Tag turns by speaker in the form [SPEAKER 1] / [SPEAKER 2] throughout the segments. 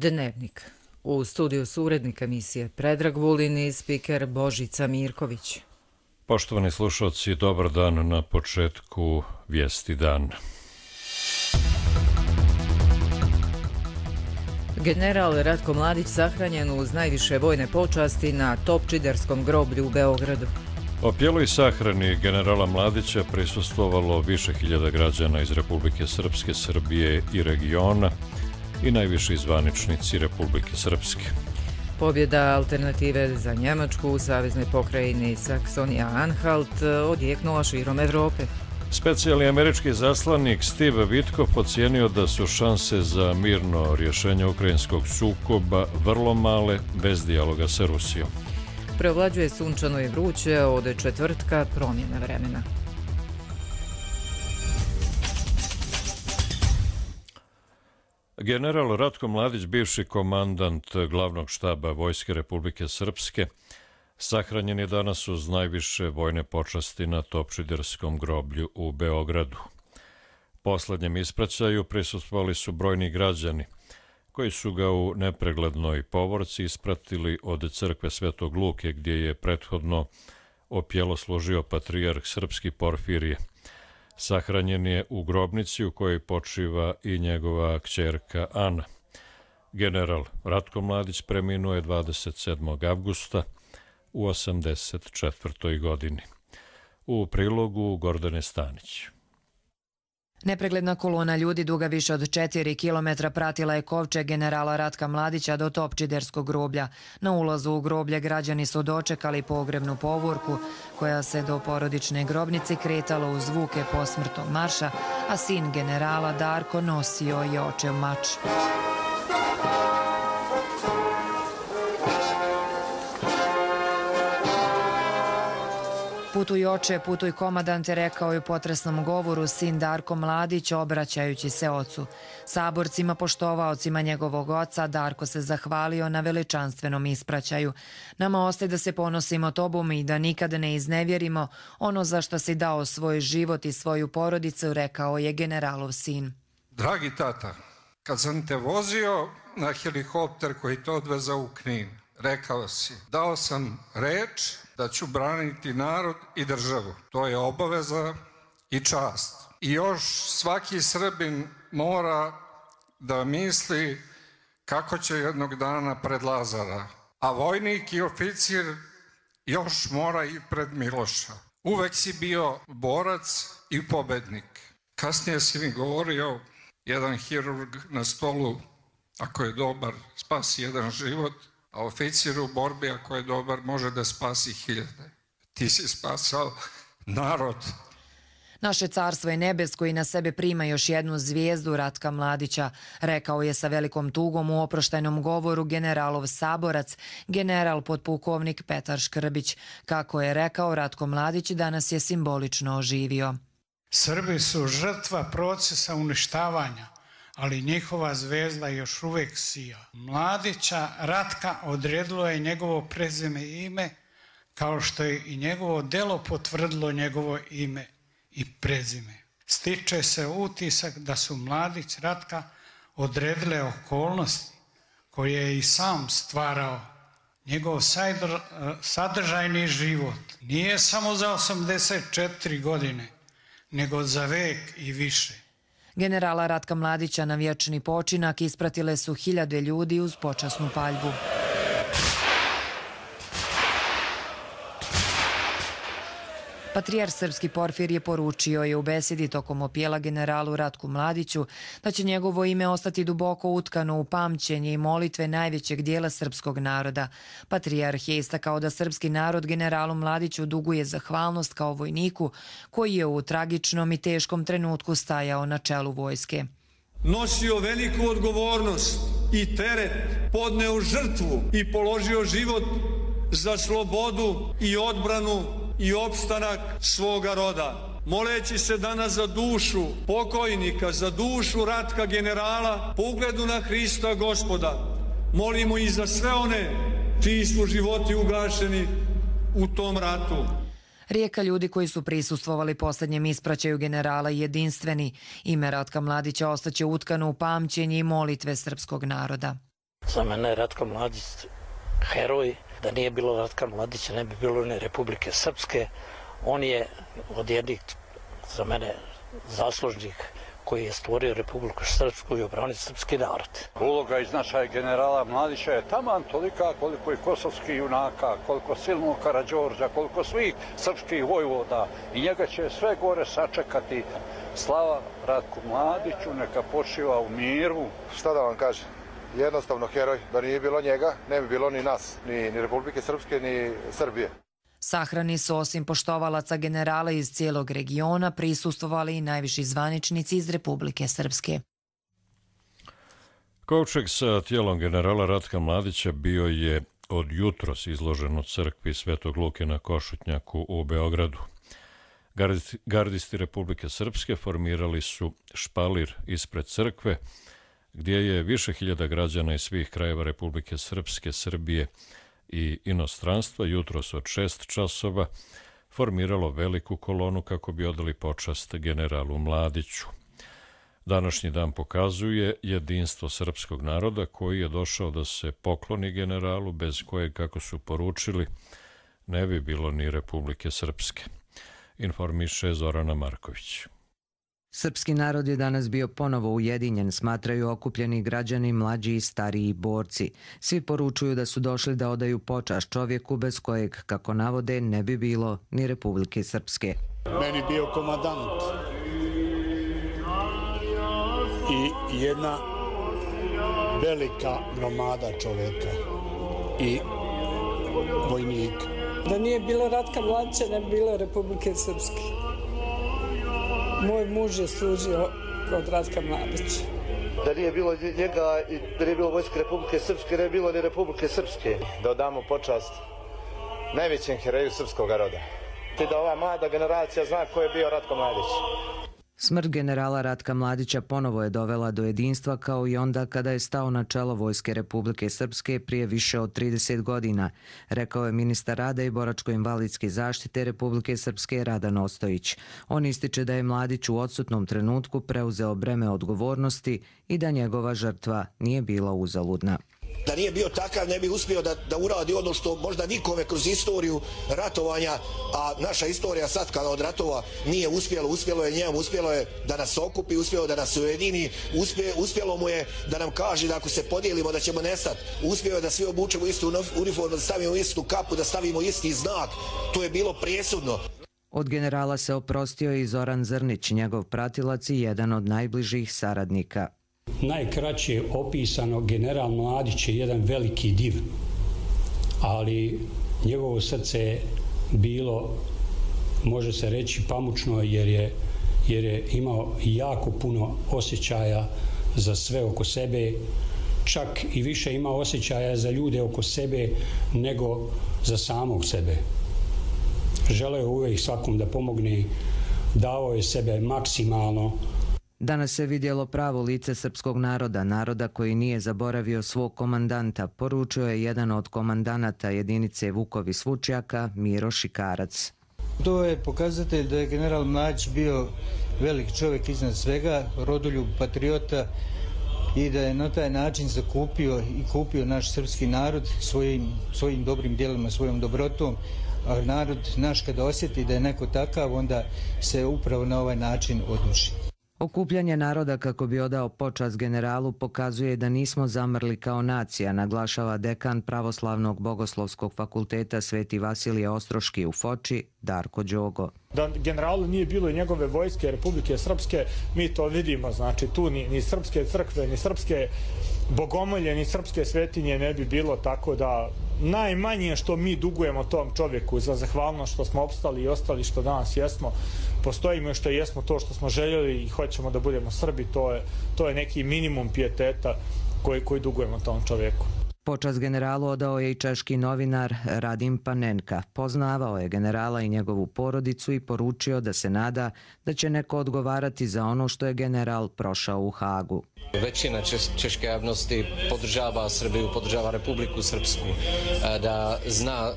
[SPEAKER 1] Dnevnik. U studiju su urednik emisije Predrag Vulin i spiker Božica Mirković.
[SPEAKER 2] Poštovani slušalci, dobar dan na početku Vijesti dan.
[SPEAKER 1] General Ratko Mladić sahranjen uz najviše vojne počasti na Topčiderskom groblju u Beogradu.
[SPEAKER 2] Opjeloj sahrani generala Mladića prisustvovalo više hiljada građana iz Republike Srpske, Srbije i regiona i najviši zvaničnici Republike Srpske.
[SPEAKER 1] Pobjeda Alternative za Njemačku u saveznoj pokrajini Saksonija-Anhalt odjeknula širom Evrope.
[SPEAKER 2] Specijalni američki zaslanik Steve Witkoff ocijenio da su šanse za mirno rješenje ukrajinskog sukoba vrlo male bez dijaloga sa Rusijom.
[SPEAKER 1] Preovlađuje sunčano i vruće, od četvrtka promjena vremena.
[SPEAKER 2] General Ratko Mladić, bivši komandant glavnog štaba Vojske Republike Srpske, sahranjen je danas uz najviše vojne počasti na Topčiderskom groblju u Beogradu. Poslednjem ispraćaju prisustvovali su brojni građani, koji su ga u nepreglednoj povorci ispratili od crkve Svetog Luke, gdje je prethodno opjelo služio patrijarh srpski Porfirije. Sahranjen je u grobnici u kojoj počiva i njegova kćerka Ana. General Ratko Mladić preminuo je 27. avgusta u 84. godini. U prilogu Gordane Stanić.
[SPEAKER 3] Nepregledna kolona ljudi duga više od 4 kilometra pratila je kovčeg generala Ratka Mladića do Topčiderskog groblja. Na ulazu u groblje građani su dočekali pogrebnu povorku koja se do porodične grobnice kretala uz zvuke posmrtnog marša, a sin generala Darko nosio je očev mač. Putuj oče, putuj komadante, rekao je u potresnom govoru sin Darko Mladić obraćajući se ocu. Saborcima, poštovaocima njegovog oca, Darko se zahvalio na veličanstvenom ispraćaju. Nama ostaje da se ponosimo tobom i da nikada ne iznevjerimo ono za što si dao svoj život i svoju porodicu, rekao je generalov sin.
[SPEAKER 4] Dragi tata, kad sam te vozio na helikopter koji te odvezao u Knin, rekao si, dao sam reč da ću braniti narod i državu. To je obaveza i čast. I još svaki Srbin mora da misli kako će jednog dana pred Lazara. A vojnik i oficir još mora i pred Miloša. Uvek si bio borac i pobednik. Kasnije si mi govorio, jedan hirurg na stolu, ako je dobar, spasi jedan život, a oficir u borbi, ako je dobar, može da spasi hiljade. Ti si spasao narod.
[SPEAKER 3] Naše carstvo je nebesko i na sebe prima još jednu zvijezdu Ratka Mladića, rekao je sa velikom tugom u oproštajnom govoru generalov saborac, general potpukovnik Petar Škrbić. Kako je rekao, Ratko Mladić danas je simbolično oživio.
[SPEAKER 5] Srbi su žrtva procesa uništavanja, ali njihova zvezda još uvijek sija. Mladića Ratka odredilo je njegovo prezime i ime, kao što je i njegovo delo potvrdilo njegovo ime i prezime. Stiče se utisak da su Mladić Ratka odredile okolnosti koje je i sam stvarao. Njegov sadržajni život nije samo za 84 godine, nego za vek i više.
[SPEAKER 3] Generala Ratka Mladića na vječni počinak ispratile su hiljade ljudi uz počasnu paljbu. Patrijarh srpski Porfirije poručio je u besedi tokom opjela generalu Ratku Mladiću da će njegovo ime ostati duboko utkano u pamćenje i molitve najvećeg dijela srpskog naroda. Patrijarh je istakao da srpski narod generalu Mladiću duguje zahvalnost kao vojniku koji je u tragičnom i teškom trenutku stajao na čelu vojske.
[SPEAKER 6] Nosio veliku odgovornost i teret, podneo žrtvu i položio život za slobodu i odbranu i opstanak svoga roda. Moleći se danas za dušu pokojnika, za dušu Ratka generala, po ugledu na Hrista Gospoda, molimo i za sve one čiji su životi ugašeni u tom ratu.
[SPEAKER 3] Rijeka ljudi koji su prisustvovali posljednjem ispraćaju generala jedinstveni. Ime Ratka Mladića ostaće utkano u pamćenje i molitve srpskog naroda.
[SPEAKER 7] Za mene je Ratka Mladić heroj. Da nije bilo Ratka Mladića, ne bi bilo ni Republike Srpske. On je od jednih, za mene, zaslužnih koji je stvorio Republiku Srpsku i obranio srpski narod.
[SPEAKER 8] Uloga i značaj generala Mladića je taman tolika koliko i kosovskih junaka, koliko silnog Karađorđa, koliko svih srpskih vojvoda. I njega će sve gore sačekati. Slava Ratku Mladiću, neka počiva u miru.
[SPEAKER 9] Šta da vam kažem? Jednostavno heroj. Da nije bilo njega, ne bi bilo ni nas, ni Republike Srpske, ni Srbije.
[SPEAKER 3] Sahrani su osim poštovalaca generala iz cijelog regiona prisustvovali i najviši zvaničnici iz Republike Srpske.
[SPEAKER 2] Kovčeg sa tijelom generala Ratka Mladića bio je od jutros izložen u crkvi Svetog Luke na Košutnjaku u Beogradu. Gardisti Republike Srpske formirali su špalir ispred crkve, gdje je više hiljada građana iz svih krajeva Republike Srpske, Srbije i inostranstva jutros od 6 časova formiralo veliku kolonu kako bi odali počast generalu Mladiću. Današnji dan pokazuje jedinstvo srpskog naroda koji je došao da se pokloni generalu, bez kojeg, kako su poručili, ne bi bilo ni Republike Srpske. Informiše Zorana Marković.
[SPEAKER 10] Srpski narod je danas bio ponovo ujedinjen, smatraju okupljeni građani, mlađi i stariji borci. Svi poručuju da su došli da odaju počast čovjeku bez kojeg, kako navode, ne bi bilo ni Republike Srpske.
[SPEAKER 11] Meni bio komandant i jedna velika gromada čovjeka i vojnika.
[SPEAKER 12] Da nije bilo Ratka Mladića, ne bi bilo Republike Srpske. Moj muž je služio kod Ratka Mladića.
[SPEAKER 13] Da nije bilo njega i da nije bilo vojske Republike Srpske, ne bi bilo ni Republike Srpske.
[SPEAKER 9] Da odamo počast najvećem heroju srpskog roda. I da ova mlada generacija zna ko je bio Ratko Mladić.
[SPEAKER 10] Smrt generala Ratka Mladića ponovo je dovela do jedinstva kao i onda kada je stao na čelo Vojske Republike Srpske prije više od 30 godina, rekao je ministar rada i boračko-invalidske zaštite Republike Srpske Radan Ostojić. On ističe da je Mladić u odsutnom trenutku preuzeo breme odgovornosti i da njegova žrtva nije bila uzaludna.
[SPEAKER 14] Da nije bio takav, ne bi uspio da uradi ono što možda nikome kroz istoriju ratovanja, a naša istorija sad kada od ratova nije uspjelo je njemu, uspjelo je da nas okupi, uspjelo da nas ujedini, uspjelo mu je da nam kaže da ako se podijelimo da ćemo nestati, uspjelo je da svi obučemo istu uniformu, da stavimo istu kapu, da stavimo isti znak, to je bilo presudno.
[SPEAKER 10] Od generala se oprostio i Zoran Zrnić, njegov pratilac i jedan od najbližih saradnika.
[SPEAKER 15] Najkraće opisano, general Mladić je jedan veliki div, ali njegovo srce je bilo, može se reći, pamučno jer je imao jako puno osjećaja za sve oko sebe, čak i više imao osjećaja za ljude oko sebe nego za samog sebe. Želeo je uvijek svakom da pomogne, dao je sebe maksimalno.
[SPEAKER 10] Danas se vidjelo pravo lice srpskog naroda, naroda koji nije zaboravio svog komandanta, poručio je jedan od komandanata jedinice Vukovi Svučjaka, Miro Šikarac.
[SPEAKER 16] To je pokazatelj da je general Mladić bio velik čovjek iznad svega, rodoljub, patriota i da je na taj način zakupio i kupio naš srpski narod svojim dobrim djelima, svojom dobrotom. A narod naš kada osjeti da je neko takav, onda se upravo na ovaj način odluči.
[SPEAKER 10] Okupljanje naroda kako bi odao počast generalu pokazuje da nismo zamrli kao nacija, naglašava dekan Pravoslavnog bogoslovskog fakulteta Sveti Vasilije Ostroški u Foči, Darko Đogo.
[SPEAKER 17] Da generalu nije bilo i njegove vojske Republike Srpske, mi to vidimo, znači tu ni srpske crkve, ni srpske bogomolje, ni srpske svetinje ne bi bilo, tako da najmanje što mi dugujemo tom čovjeku za zahvalnost što smo opstali i ostali što danas jesmo, postojimo što jesmo to što smo željeli i hoćemo da budemo Srbi, to je neki minimum pijeteta koji dugujemo tom čovjeku.
[SPEAKER 10] Počast generalu odao je i češki novinar Radim Panenka. Poznavao je generala i njegovu porodicu i poručio da se nada da će neko odgovarati za ono što je general prošao u Hagu.
[SPEAKER 18] Većina češke javnosti podržava Srbiju, podržava Republiku Srpsku, da zna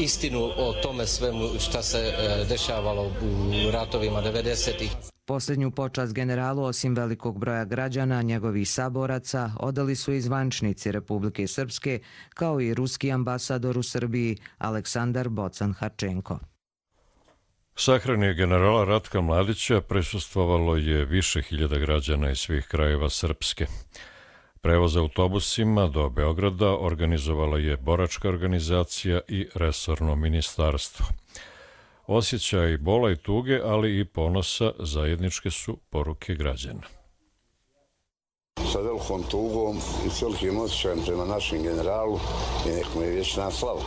[SPEAKER 18] istinu o tome svemu šta se dešavalo u ratovima 90-ih.
[SPEAKER 10] Posljednju počast generalu, osim velikog broja građana, njegovih saboraca, odali su i zvaničnici Republike Srpske, kao i ruski ambasador u Srbiji Aleksandar Bocan-Harčenko.
[SPEAKER 2] Sahrani generala Ratka Mladića prisustvovalo je više hiljada građana iz svih krajeva Srpske. Prevoz autobusima do Beograda organizovala je boračka organizacija i resorno ministarstvo. Osjećaj bola i tuge, ali i ponosa zajedničke su poruke građana.
[SPEAKER 19] Sa velikom tugom i s velikim osjećajem prema našem generalu i nek mu je vječna slava.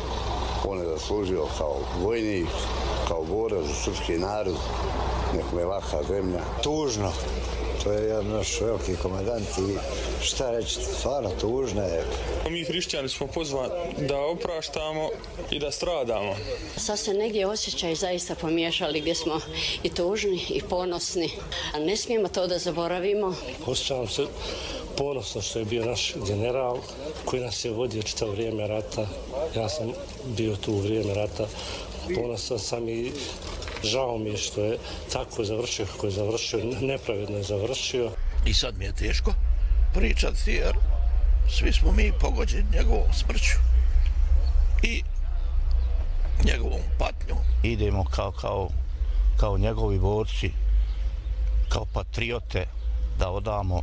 [SPEAKER 19] On je zaslužio kao vojnik, kao borac za srpski narod, nek mu je laka zemlja.
[SPEAKER 20] Tužno. To je jedan naš veliki komandant i šta reći, stvarno tužno je.
[SPEAKER 21] Mi hrišćani smo pozvani da opraštamo i da stradamo.
[SPEAKER 22] Sad se negdje osjećaj zaista pomiješali gdje smo i tužni i ponosni. A ne smijemo to da zaboravimo.
[SPEAKER 23] Osjećam se ponosno što je bio naš general koji nas je vodio čitavo vrijeme rata. Ja sam bio tu u vrijeme rata. Ponosan sam i žao mi je što je tako završio kako je završio, nepravedno je završio.
[SPEAKER 24] I sad mi je teško pričati jer svi smo mi pogođeni njegovom smrću i njegovom patnjom.
[SPEAKER 25] Idemo kao njegovi borci, kao patriote da odamo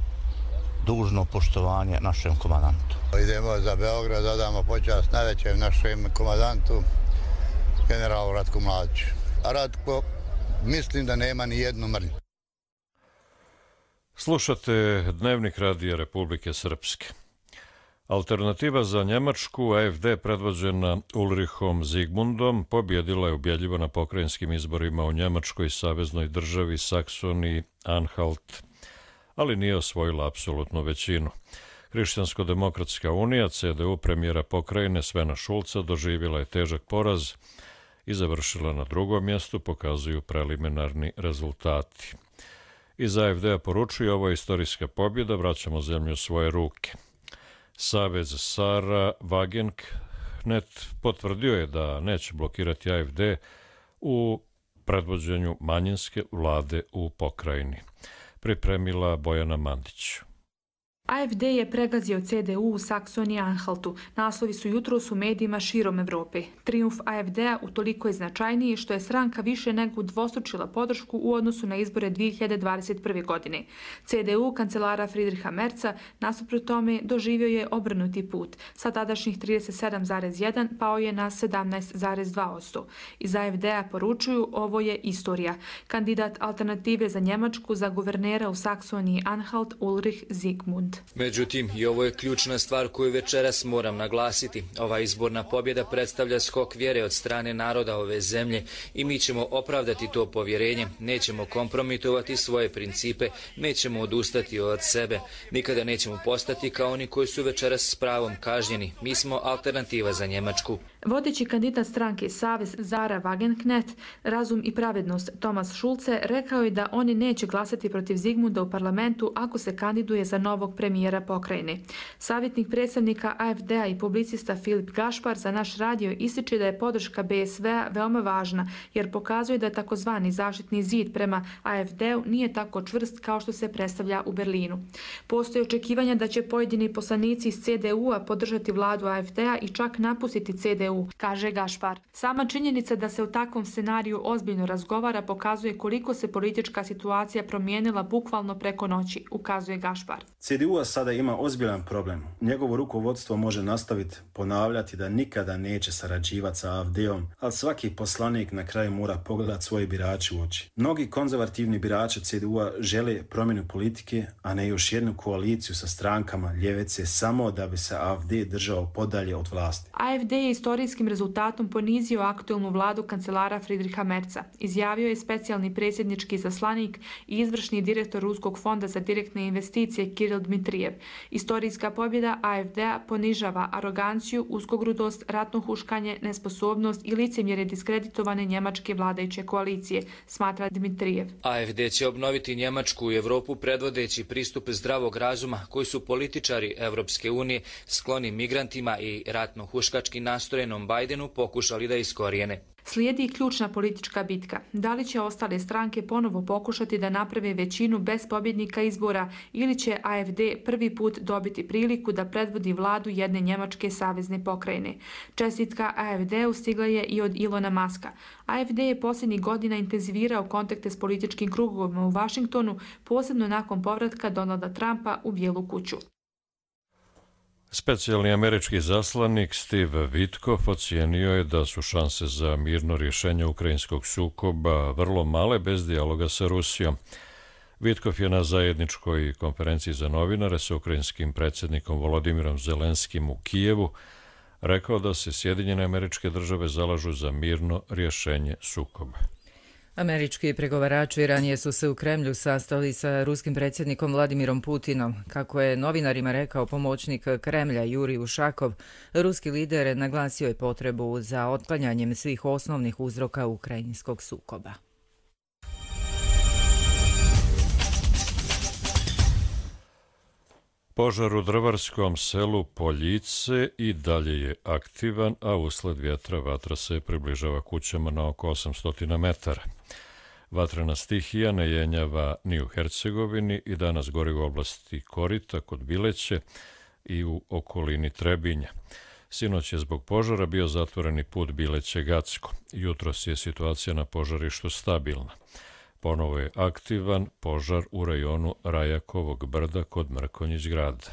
[SPEAKER 25] dužno poštovanje našem komandantu.
[SPEAKER 26] Idemo za Beograd da damo počast najvećem našem komandantu, generalu Ratku Mladiću. A Ratko, mislim da nema ni jednu mrlju.
[SPEAKER 2] Slušate Dnevnik Radija Republike Srpske. Alternativa za Njemačku, AfD, predvođena Ulrichom Zigmundom, pobjedila je ubjedljivo na pokrajinskim izborima u Njemačkoj saveznoj državi Saksoniji Anhalt, ali nije osvojila apsolutnu većinu. Hrišćansko-demokratska unija, CDU premijera pokrajine Svena Šulca, doživjela je težak poraz i završila na drugom mjestu, pokazuju preliminarni rezultati. Iz AfD-a poručuju, ovo je istorijska pobjeda, vraćamo zemlju u svoje ruke. Savez Sara Wagenknecht potvrdio je da neće blokirati AfD u predvođenju manjinske vlade u pokrajini. Pripremila Bojana Mandić.
[SPEAKER 27] AfD je pregazio CDU u Saksoniji Anhaltu. Naslovi su jutros u medijima širom Evrope. Trijumf AfD-a utoliko je značajniji što je stranka više nego udvostručila podršku u odnosu na izbore 2021. godine. CDU kancelara Friedricha Merza nasuprot tome doživio je obrnuti put. Sa tadašnjih 37,1 pao je na 17,2%. Iz AfD-a poručuju, ovo je istorija. Kandidat alternative za Njemačku za guvernera u Saksoniji Anhalt Ulrich Zigmund.
[SPEAKER 28] Međutim, i ovo je ključna stvar koju večeras moram naglasiti. Ova izborna pobjeda predstavlja skok vjere od strane naroda ove zemlje i mi ćemo opravdati to povjerenje, nećemo kompromitovati svoje principe, nećemo odustati od sebe, nikada nećemo postati kao oni koji su večeras s pravom kažnjeni. Mi smo alternativa za Njemačku.
[SPEAKER 27] Vodeći kandidat stranke Savez Sara Wagenknecht, Razum i pravednost Thomas Schulze rekao je da oni neće glasati protiv Zigmunda u parlamentu ako se kandiduje za novog premijera pokrajine. Savjetnik predstavnika AfD-a i publicista Filip Gašpar za naš radio ističe da je podrška BSV-a veoma važna jer pokazuje da takozvani zaštitni zid prema AfD-u nije tako čvrst kao što se predstavlja u Berlinu. Postoje očekivanja da će pojedini poslanici iz CDU-a podržati vladu AfD-a i čak napustiti CDU, kaže Gašpar. Sama činjenica da se u takvom scenariju ozbiljno razgovara pokazuje koliko se politička situacija promijenila bukvalno preko noći, ukazuje Gašpar.
[SPEAKER 29] CDU-a sada ima ozbiljan problem. Njegovo rukovodstvo može nastaviti ponavljati da nikada neće sarađivati sa AfD-om, ali svaki poslanik na kraju mora pogledati svoje birače u oči. Mnogi konzervativni birači CDU-a žele promjenu politike, a ne još jednu koaliciju sa strankama ljevice samo da bi se AfD držao podalje od vlasti.
[SPEAKER 27] AfD je istorijskim rezultatom ponizio aktualnu vladu kancelara Friedricha Merza, izjavio je specijalni predsjednički izaslanik i izvršni direktor Ruskog fonda za direktne investicije Kiril Dmitrijev. Istorijska pobjeda AfD-a ponižava aroganciju, uskogrudost, ratno huškanje, nesposobnost i licemjerje diskreditovane njemačke vladajuće koalicije, smatra Dmitrijev.
[SPEAKER 28] AfD će obnoviti Njemačku i Evropu predvodeći pristup zdravog razuma koji su političari Evropske unije skloni migrantima i ratno huškački nastrojenom Bajdenu pokušali da iskorijene.
[SPEAKER 27] Slijedi ključna politička bitka. Da li će ostale stranke ponovo pokušati da naprave većinu bez pobjednika izbora ili će AfD prvi put dobiti priliku da predvodi vladu jedne njemačke savezne pokrajine? Čestitka AfD-u stigla je i od Ilona Maska. AfD je posljednjih godina intenzivirao kontakte s političkim krugovima u Vašingtonu, posebno nakon povratka Donalda Trumpa u Bijelu kuću.
[SPEAKER 2] Specijalni američki zaslanik Steve Witkoff ocijenio je da su šanse za mirno rješenje ukrajinskog sukoba vrlo male bez dijaloga sa Rusijom. Witkoff je na zajedničkoj konferenciji za novinare sa ukrajinskim predsjednikom Volodimirom Zelenskim u Kijevu rekao da se Sjedinjene Američke Države zalažu za mirno rješenje sukoba.
[SPEAKER 1] Američki pregovarači ranije su se u Kremlju sastali sa ruskim predsjednikom Vladimirom Putinom. Kako je novinarima rekao pomoćnik Kremlja Jurij Ušakov, ruski lider naglasio je potrebu za otklanjanjem svih osnovnih uzroka ukrajinskog sukoba.
[SPEAKER 2] Požar u drvarskom selu Poljice i dalje je aktivan, a usled vjetra vatra se približava kućama na oko 800 metara. Vatrena stihija ne jenjava ni u Hercegovini i danas gori u oblasti Korita kod Bileće i u okolini Trebinja. Sinoć je zbog požara bio zatvoreni put Bileće-Gacko. Jutros je situacija na požarištu stabilna. Ponovo je aktivan požar u rajonu Rajakovog brda kod Mrkonjić grada.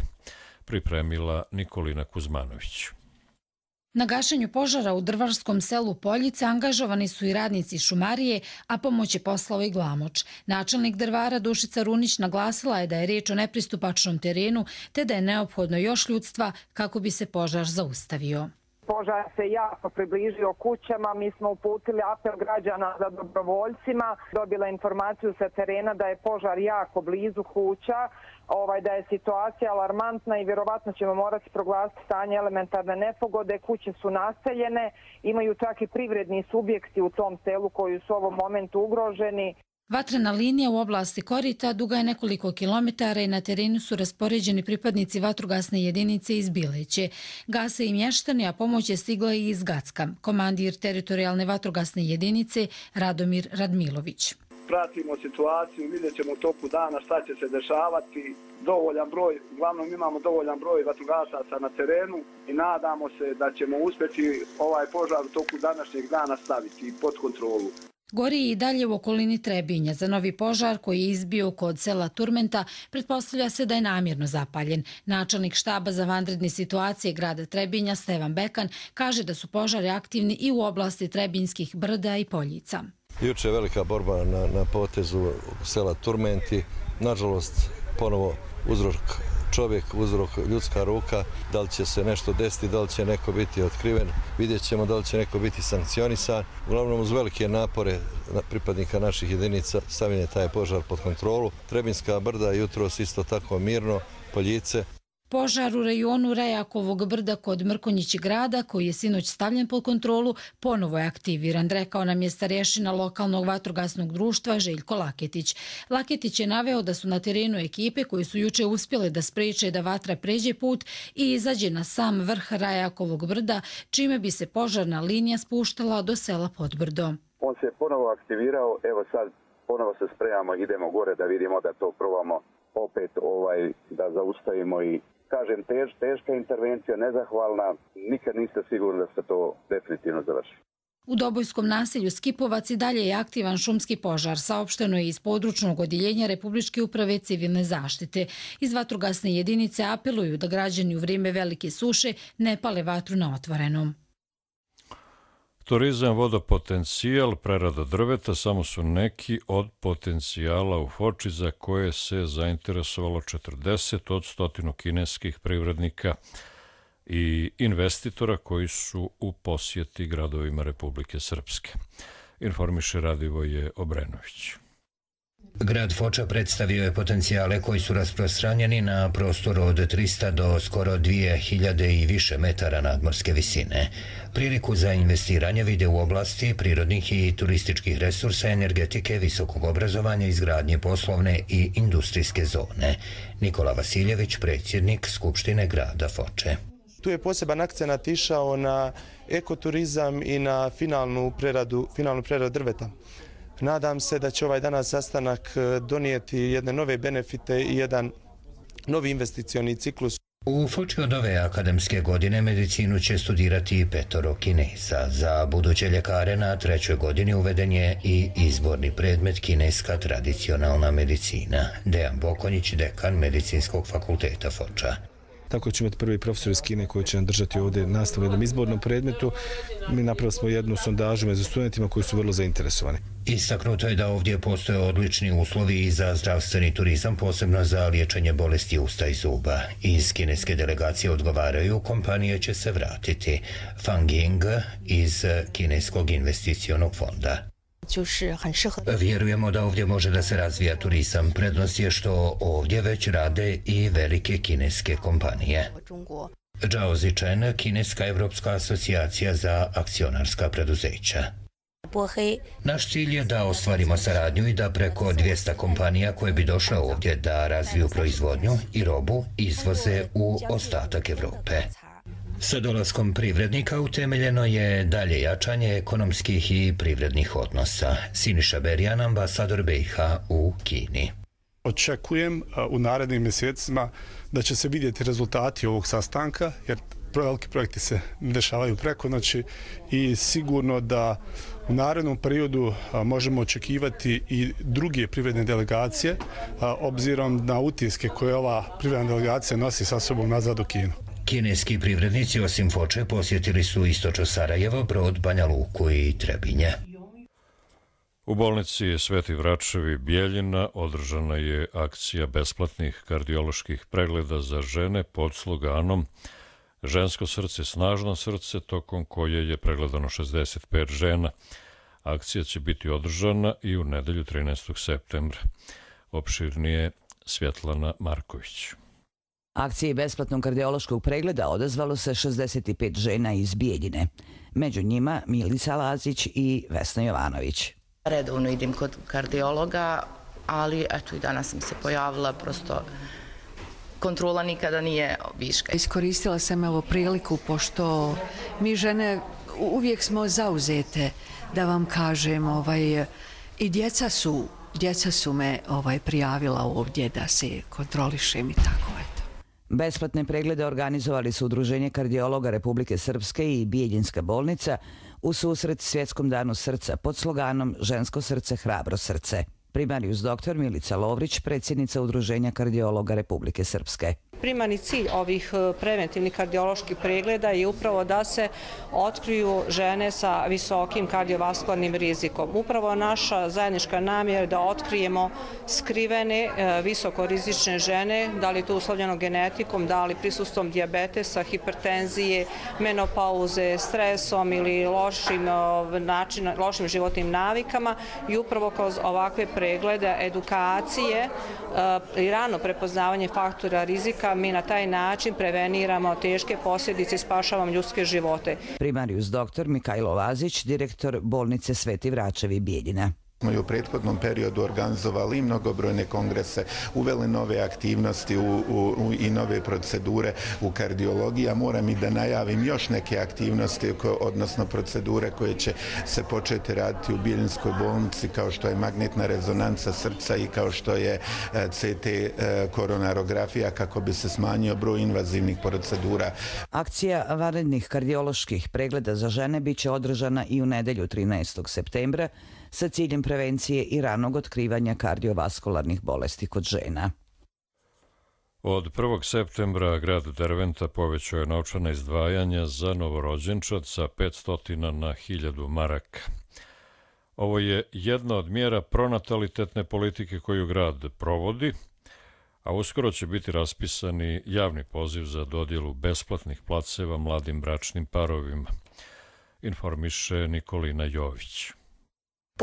[SPEAKER 2] Pripremila Nikolina Kuzmanović.
[SPEAKER 3] Na gašenju požara u drvarskom selu Poljice angažovani su i radnici šumarije, a pomoć je poslao i Glamoč. Načelnik drvara Dušica Runić naglasila je da je riječ o nepristupačnom terenu, te da je neophodno još ljudstva kako bi se požar zaustavio.
[SPEAKER 4] Požar se jako približio kućama, mi smo uputili apel građana za dobrovoljcima, dobila informaciju sa terena da je požar jako blizu kuća, da je situacija alarmantna i vjerovatno ćemo morati proglasiti stanje elementarne nepogode. Kuće su naseljene, imaju čak i privredni subjekti u tom selu koji su u ovom momentu ugroženi.
[SPEAKER 3] Vatrena linija u oblasti Korita duga je nekoliko kilometara i na terenu su raspoređeni pripadnici vatrogasne jedinice iz Bileće. Gase i mještani, a pomoć je stigla i iz Gacka. Komandir teritorijalne vatrogasne jedinice Radomir Radmilović.
[SPEAKER 5] Pratimo situaciju, vidjet ćemo u toku dana šta će se dešavati. Uglavnom imamo dovoljan broj vatrogasaca na terenu i nadamo se da ćemo uspjeti ovaj požar u toku današnjeg dana staviti pod kontrolu.
[SPEAKER 3] Gori i dalje u okolini Trebinja. Za novi požar koji je izbio kod sela Turmenta pretpostavlja se da je namjerno zapaljen. Načelnik štaba za vanredne situacije grada Trebinja Stevan Bekan kaže da su požari aktivni i u oblasti Trebinjskih brda i Poljica.
[SPEAKER 6] Juče je velika borba na potezu sela Turmenti. Nažalost, ponovo uzrok čovjek, uzrok ljudska ruka. Da li će se nešto desiti, da li će neko biti otkriven, vidjet ćemo da li će neko biti sankcionisan. Uglavnom, uz velike napore pripadnika naših jedinica stavljen je taj požar pod kontrolu. Trebinjska brda jutros isto tako mirno, Poljice.
[SPEAKER 3] Požar u rajonu Rajakovog brda kod Mrkonjić grada, koji je sinoć stavljen pod kontrolu, ponovo je aktiviran, rekao nam je starješina lokalnog vatrogasnog društva Željko Laketić. Laketić je naveo da su na terenu ekipe koji su juče uspjele da spriječe da vatra pređe put i izađe na sam vrh Rajakovog brda, čime bi se požarna linija spuštala do sela Podbrdo.
[SPEAKER 7] On se ponovo aktivirao, evo sad ponovo se spremamo, idemo gore da vidimo da to probamo opet da zaustavimo i kažem, teška intervencija, nezahvalna, nikad niste sigurni da se to definitivno završi.
[SPEAKER 3] U Dobojskom naselju Skipovac i dalje je aktivan šumski požar, saopšteno je iz područnog odjeljenja Republičke uprave civilne zaštite. Iz vatrogasne jedinice apeluju da građani u vrijeme velike suše ne pale vatru na otvorenom.
[SPEAKER 2] Turizam, vodopotencijal, prerada drveta samo su neki od potencijala u Foči za koje se zainteresovalo 40 od 100 kineskih privrednika i investitora koji su u posjeti gradovima Republike Srpske. Informiše Radivoje Obrenović.
[SPEAKER 8] Grad Foča predstavio je potencijale koji su rasprostranjeni na prostoru od 300 do skoro 2000 i više metara nadmorske visine. Priliku za investiranje vide u oblasti prirodnih i turističkih resursa, energetike, visokog obrazovanja, izgradnje poslovne i industrijske zone. Nikola Vasiljević, predsjednik Skupštine grada Foče.
[SPEAKER 9] Tu je poseban akcenat išao na ekoturizam i na finalnu preradu drveta. Nadam se da će ovaj danas sastanak donijeti jedne nove benefite i jedan novi investicioni ciklus.
[SPEAKER 8] U Foči od ove akademske godine medicinu će studirati 5 Kineza. Za buduće ljekare na 3. godini uveden je i izborni predmet kineska tradicionalna medicina. Dejan Bokonjić, dekan Medicinskog fakulteta Foča.
[SPEAKER 11] Tako ćemo imati prvi profesor iz Kine koji će nam držati ovdje nastavu u jednom izbornom predmetu. Mi napravili smo jednu sondažu među studentima koji su vrlo zainteresovani.
[SPEAKER 8] Istaknuto je da ovdje postoje odlični uslovi i za zdravstveni turizam, posebno za liječenje bolesti usta i zuba. Iz kineske delegacije odgovaraju, kompanije će se vratiti. Fang Ying iz Kineskog investicionog fonda. Vjerujemo da ovdje može da se razvija turizam. Prednost je što ovdje već rade i velike kineske kompanije. Zhao Zichen, Kineska evropska asocijacija za akcionarska preduzeća. Naš cilj je da ostvarimo saradnju i da preko 200 kompanija koje bi došle ovdje da razviju proizvodnju i robu izvoze u ostatak Evrope. Sa dolaskom privrednika utemeljeno je dalje jačanje ekonomskih i privrednih odnosa. Siniša Berjan, ambasador BiH u Kini.
[SPEAKER 12] Očekujem u narednim mjesecima da će se vidjeti rezultati ovog sastanka, jer veliki projekti se dešavaju preko noći i sigurno da u narednom periodu možemo očekivati i druge privredne delegacije, obzirom na utiske koje ova privredna delegacija nosi sa sobom nazad u Kinu.
[SPEAKER 8] Kineski privrednici osim Foče posjetili su istočno Sarajevo, Brod, Banja Luku i Trebinje.
[SPEAKER 2] U bolnici Sveti Vračevi Bijeljina održana je akcija besplatnih kardioloških pregleda za žene pod sloganom Žensko srce, snažno srce, tokom koje je pregledano 65 žena. Akcija će biti održana i u nedelju 13. septembra. Opširnije Svjetlana Marković.
[SPEAKER 13] Akciji besplatnog kardiološkog pregleda odazvalo se 65 žena iz Bijeljine. Među njima Milica Lazić i Vesna Jovanović.
[SPEAKER 14] Redovno idem kod kardiologa, ali eto i danas sam se pojavila, prosto kontrola nikada nije viška.
[SPEAKER 15] Iskoristila sam ovo priliku, pošto mi žene uvijek smo zauzete, da vam kažem, i djeca su me prijavila ovdje da se kontrolišem i tako eto.
[SPEAKER 13] Besplatne preglede organizovali su Udruženje kardiologa Republike Srpske i Bijeljinska bolnica u susret Svjetskom danu srca pod sloganom Žensko srce, hrabro srce. Primarijus dr. Milica Lovrić, predsjednica Udruženja kardiologa Republike Srpske.
[SPEAKER 16] Primarni cilj ovih preventivnih kardioloških pregleda je upravo da se otkriju žene sa visokim kardiovaskularnim rizikom. Upravo naša zajednička namjera je da otkrijemo skrivene visokorizične žene, da li to uslovljeno genetikom, da li prisustvom dijabetesa, hipertenzije, menopauze, stresom ili lošim životnim navikama i upravo kroz ovakve preglede, edukacije i rano prepoznavanje faktora rizika mi na taj način preveniramo teške posljedice i spašavamo ljudske živote.
[SPEAKER 13] Primarijus dr. Mikajlo Lazić, direktor bolnice Sveti Vračevi Bijeljina.
[SPEAKER 17] Smo i u prethodnom periodu organizovali mnogobrojne kongrese, uveli nove aktivnosti i nove procedure u kardiologiji, a moram i da najavim još neke aktivnosti, odnosno procedure koje će se početi raditi u Bijeljinskoj bolnici, kao što je magnetna rezonanca srca i kao što je CT koronarografija, kako bi se smanjio broj invazivnih procedura.
[SPEAKER 13] Akcija vanrednih kardioloških pregleda za žene biće održana i u nedelju 13. septembra sa ciljem prevencije i ranog otkrivanja kardiovaskularnih bolesti kod žena.
[SPEAKER 2] Od 1. septembra grad Derventa povećao je novčana izdvajanja za novorođenčad sa 500 na 1000 maraka. Ovo je jedna od mjera pronatalitetne politike koju grad provodi, a uskoro će biti raspisani javni poziv za dodjelu besplatnih placeva mladim bračnim parovima, informiše Nikolina Jović.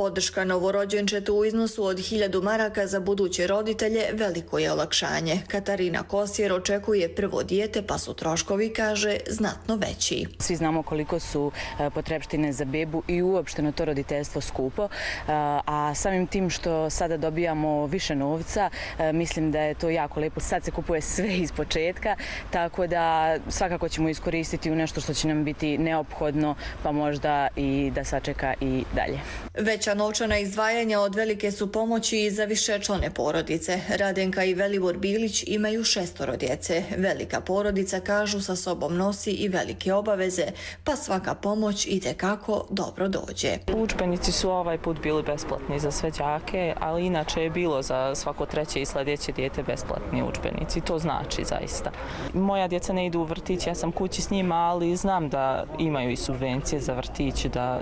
[SPEAKER 10] Podrška novorođenčetu u iznosu od 1000 maraka za buduće roditelje veliko je olakšanje. Katarina Kosjer očekuje prvo dijete, pa su troškovi, kaže, znatno veći.
[SPEAKER 18] Svi znamo koliko su potrepštine za bebu i uopšteno to roditeljstvo skupo, a samim tim što sada dobijamo više novca, mislim da je to jako lepo. Sad se kupuje sve iz početka, tako da svakako ćemo iskoristiti u nešto što će nam biti neophodno, pa možda i da sačeka i dalje.
[SPEAKER 10] Veća novčana izdvajanja od velike su pomoći i za višečlane porodice. Radenka i Velibor Bilić imaju 6 djece. Velika porodica, kažu, sa sobom nosi i velike obaveze, pa svaka pomoć itekako dobro dođe.
[SPEAKER 19] Udžbenici su ovaj put bili besplatni za sve đake, ali inače je bilo za svako treće i sljedeće dijete besplatni udžbenici. To znači zaista. Moja djeca ne idu u vrtić, ja sam kući s njima, ali znam da imaju i subvencije za vrtić, da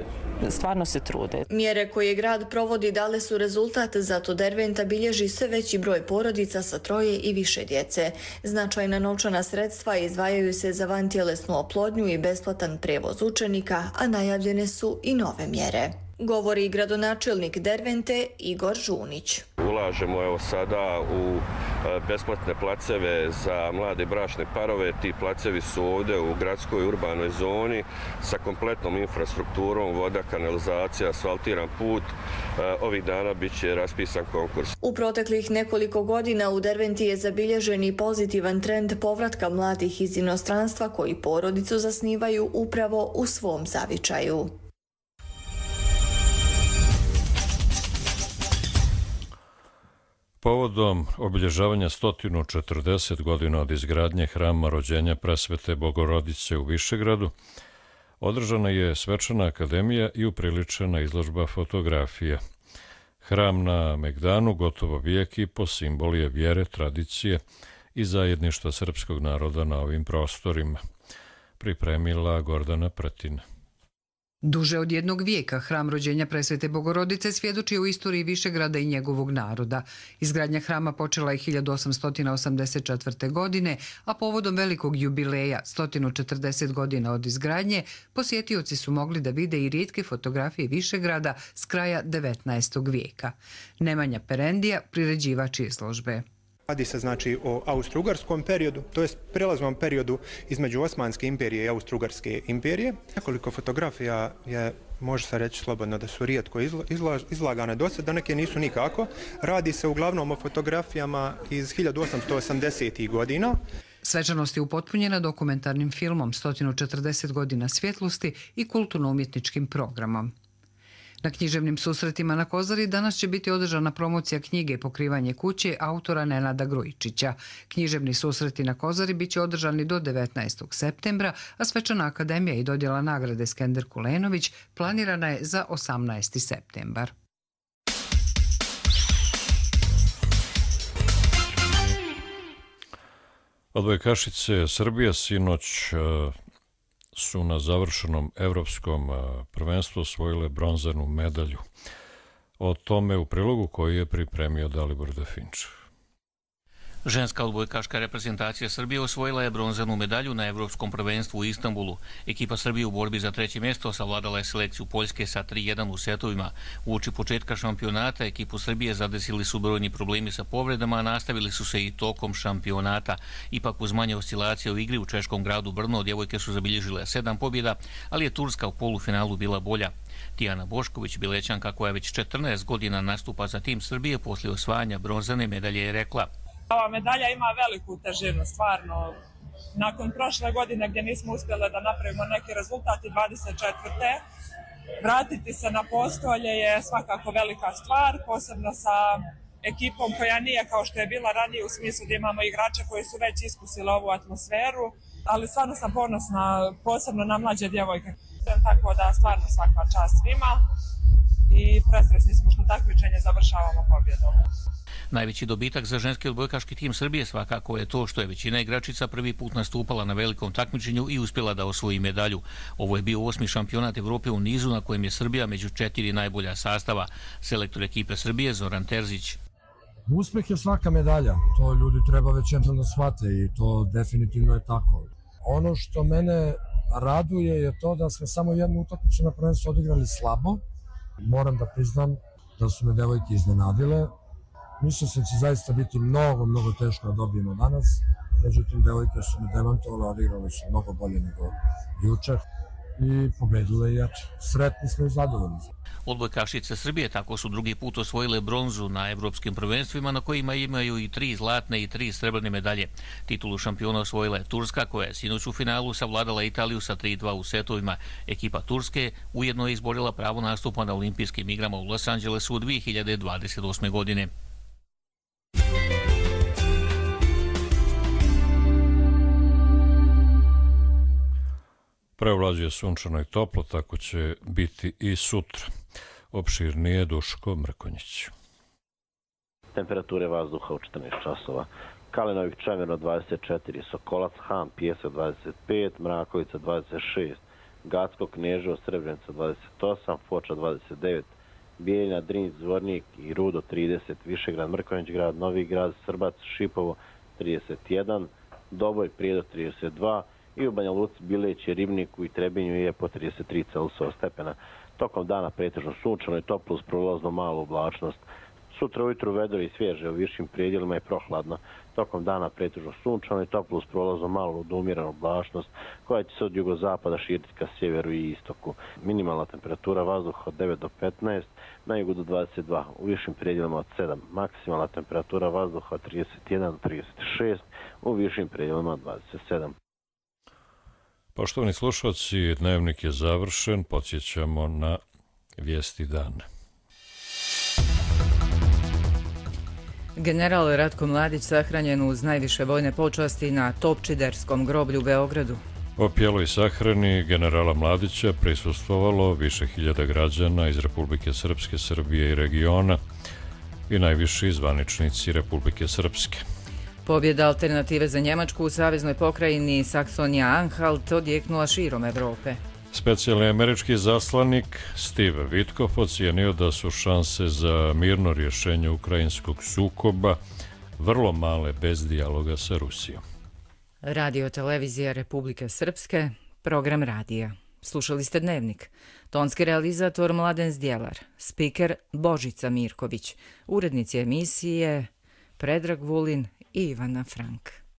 [SPEAKER 19] stvarno se trude.
[SPEAKER 10] Mjere koje grad provodi dale su rezultat, zato Derventa bilježi sve veći broj porodica sa 3 i više djece. Značajna novčana sredstva izdvajaju se za vantjelesnu oplodnju i besplatan prevoz učenika, a najavljene su i nove mjere. Govori gradonačelnik Dervente Igor Žunić.
[SPEAKER 20] Ulažemo evo sada u besplatne placeve za mlade bračne parove. Ti placevi su ovdje u gradskoj urbanoj zoni sa kompletnom infrastrukturom, voda, kanalizacija, asfaltiran put. Ovih dana bit će raspisan konkurs.
[SPEAKER 10] U proteklih nekoliko godina u Derventi je zabilježen i pozitivan trend povratka mladih iz inostranstva koji porodicu zasnivaju upravo u svom zavičaju.
[SPEAKER 2] Povodom obilježavanja 140 godina od izgradnje hrama rođenja Presvete Bogorodice u Višegradu, održana je svečana akademija i upriličena izložba fotografija. Hram na Megdanu gotovo vijek i po simbol je vjere, tradicije i zajedništva srpskog naroda na ovim prostorima. Pripremila Gordana Pretina.
[SPEAKER 21] Duže od 1 vijeka hram rođenja Presvete Bogorodice svjedoči o istoriji Višegrada i njegovog naroda. Izgradnja hrama počela je 1884. godine, a povodom velikog jubileja, 140 godina od izgradnje, posjetioci su mogli da vide i rijetke fotografije Višegrada s kraja 19. vijeka. Nemanja Perendija, priređivač izložbe.
[SPEAKER 22] Radi se znači o Austro-Ugarskom periodu, to jest prelaznom periodu između Osmanske imperije i Austro-Ugarske imperije. Nekoliko fotografija je, može se reći slobodno, da su rijetko izlagane do sada, neke nisu nikako. Radi se uglavnom o fotografijama iz 1880. godina.
[SPEAKER 21] Svečanost je upotpunjena dokumentarnim filmom 140 godina svjetlosti i kulturno-umjetničkim programom. Na književnim susretima na Kozari danas će biti održana promocija knjige Pokrivanje kuće autora Nenada Grujičića. Književni susreti na Kozari bit će održani do 19. septembra, a svečana akademija i dodjela nagrade Skender Kulenović planirana je za 18. septembar.
[SPEAKER 2] Odbojkašice Srbije sinoć su na završenom evropskom prvenstvu osvojile bronzanu medalju. O tome u prilogu koji je pripremio Dalibor Definč.
[SPEAKER 23] Ženska odbojkaška reprezentacija Srbije osvojila je bronzanu medalju na Evropskom prvenstvu u Istanbulu. Ekipa Srbije u borbi za 3. mjesto savladala je selekciju Poljske sa 3:1 u setovima. Uoči početka šampionata ekipu Srbije zadesili su brojni problemi sa povredama, a nastavili su se i tokom šampionata. Ipak uz manje oscilacije u igri u češkom gradu Brno djevojke su zabilježile 7 pobjeda, ali je Turska u polufinalu bila bolja. Tijana Bošković, Bilećanka koja već 14 godina nastupa za tim Srbije, poslije osvajanja bronzane medalje je rekla:
[SPEAKER 24] Ova medalja ima veliku težinu, stvarno. Nakon prošle godine gdje nismo uspjeli da napravimo neki rezultat i 24. vratiti se na postolje je svakako velika stvar, posebno sa ekipom koja nije kao što je bila ranije u smislu da imamo igrače koji su već iskusili ovu atmosferu, ali stvarno sam ponosna, posebno na mlađe djevojke. Tako da stvarno svaka čast svima i presretni smo što takmičenje završavamo pobjedom.
[SPEAKER 23] Najveći dobitak za ženski odbojkaški tim Srbije svakako je to što je većina igračica prvi put nastupala na velikom takmičenju i uspjela da osvoji medalju. Ovo je bio 8. šampionat Evrope u nizu na kojem je Srbija među 4 najbolja sastava. Selektor ekipe Srbije Zoran Terzić.
[SPEAKER 25] Uspeh je svaka medalja, to ljudi treba već jednom da shvate i to definitivno je tako. Ono što mene raduje je to da smo samo jednu utakmicu na prvenstvu odigrali slabo, Moram da priznam da su me devojke iznenadile. Mislio sam će zaista biti mnogo teško da dobijemo danas. Međutim, devojke su me demantovale, odigrale su mnogo bolje nego juče i pobedile i sretni smo i zadovoljni.
[SPEAKER 23] Odbojkašice Srbije tako su drugi put osvojile bronzu na evropskim prvenstvima na kojima imaju i 3 zlatne i 3 srebrne medalje. Titulu šampiona osvojila je Turska koja je sinoć u finalu savladala Italiju sa 3-2 u setovima. Ekipa Turske ujedno je izborila pravo nastupa na olimpijskim igrama u Los Angelesu 2028. godine.
[SPEAKER 2] Preovlađuje sunčano i toplo, tako će biti i sutra. Opširnije Duško Mrkonjić.
[SPEAKER 1] Temperature vazduha u 14 časova. Kalinovih Čemerno 24, Sokolac, Han, Pjesak 25, Mrakovica 26, Gacko, Kneževo, Srebrenica 28, Foča 29, Bijeljina, Drinj, Zvornik i Rudo 30, Višegrad, Mrkonjić grad, Novi grad, Srbac, Šipovo 31, Doboj, Prijedor 32 i u Banja Luci, Bileć, Ribniku i Trebinju je po 33 Celzijusova stepena. Tokom dana pretežno sunčano i toplo uz prolazno malu oblačnost. Sutra ujutru vedro i svježe u višim predjelima je prohladno. Tokom dana pretežno sunčano i toplo uz prolazno malu umjerenu oblačnost koja će se od jugozapada širiti ka sjeveru i istoku. Minimalna temperatura vazduha od 9 do 15, na jugu do 22, u višim predjelima od 7. Maksimalna temperatura vazduha od 31 do 36, u višim predjelima od 27.
[SPEAKER 2] Poštovani slušalci, dnevnik je završen, podsjećamo na vijesti dana.
[SPEAKER 4] General Ratko Mladić sahranjen uz najviše vojne počasti na Topčiderskom groblju u Beogradu.
[SPEAKER 2] Opjeloj sahrani generala Mladića prisustvovalo više hiljada građana iz Republike Srpske, Srbije i regiona i najviši zvaničnici Republike Srpske.
[SPEAKER 4] Pobjeda Alternative za Njemačku u saveznoj pokrajini Saksonija-Anhalt odjeknula širom Evrope.
[SPEAKER 2] Specijalni američki zaslanik Steve Witkoff ocijenio da su šanse za mirno rješenje ukrajinskog sukoba vrlo male bez dijaloga sa Rusijom.
[SPEAKER 4] Radio televizija Republike Srpske, program radija. Slušali ste Dnevnik. Tonski realizator Mladen Zdjelar, spiker Božica Mirković, urednici emisije Predrag Vulin i Ivana Frank.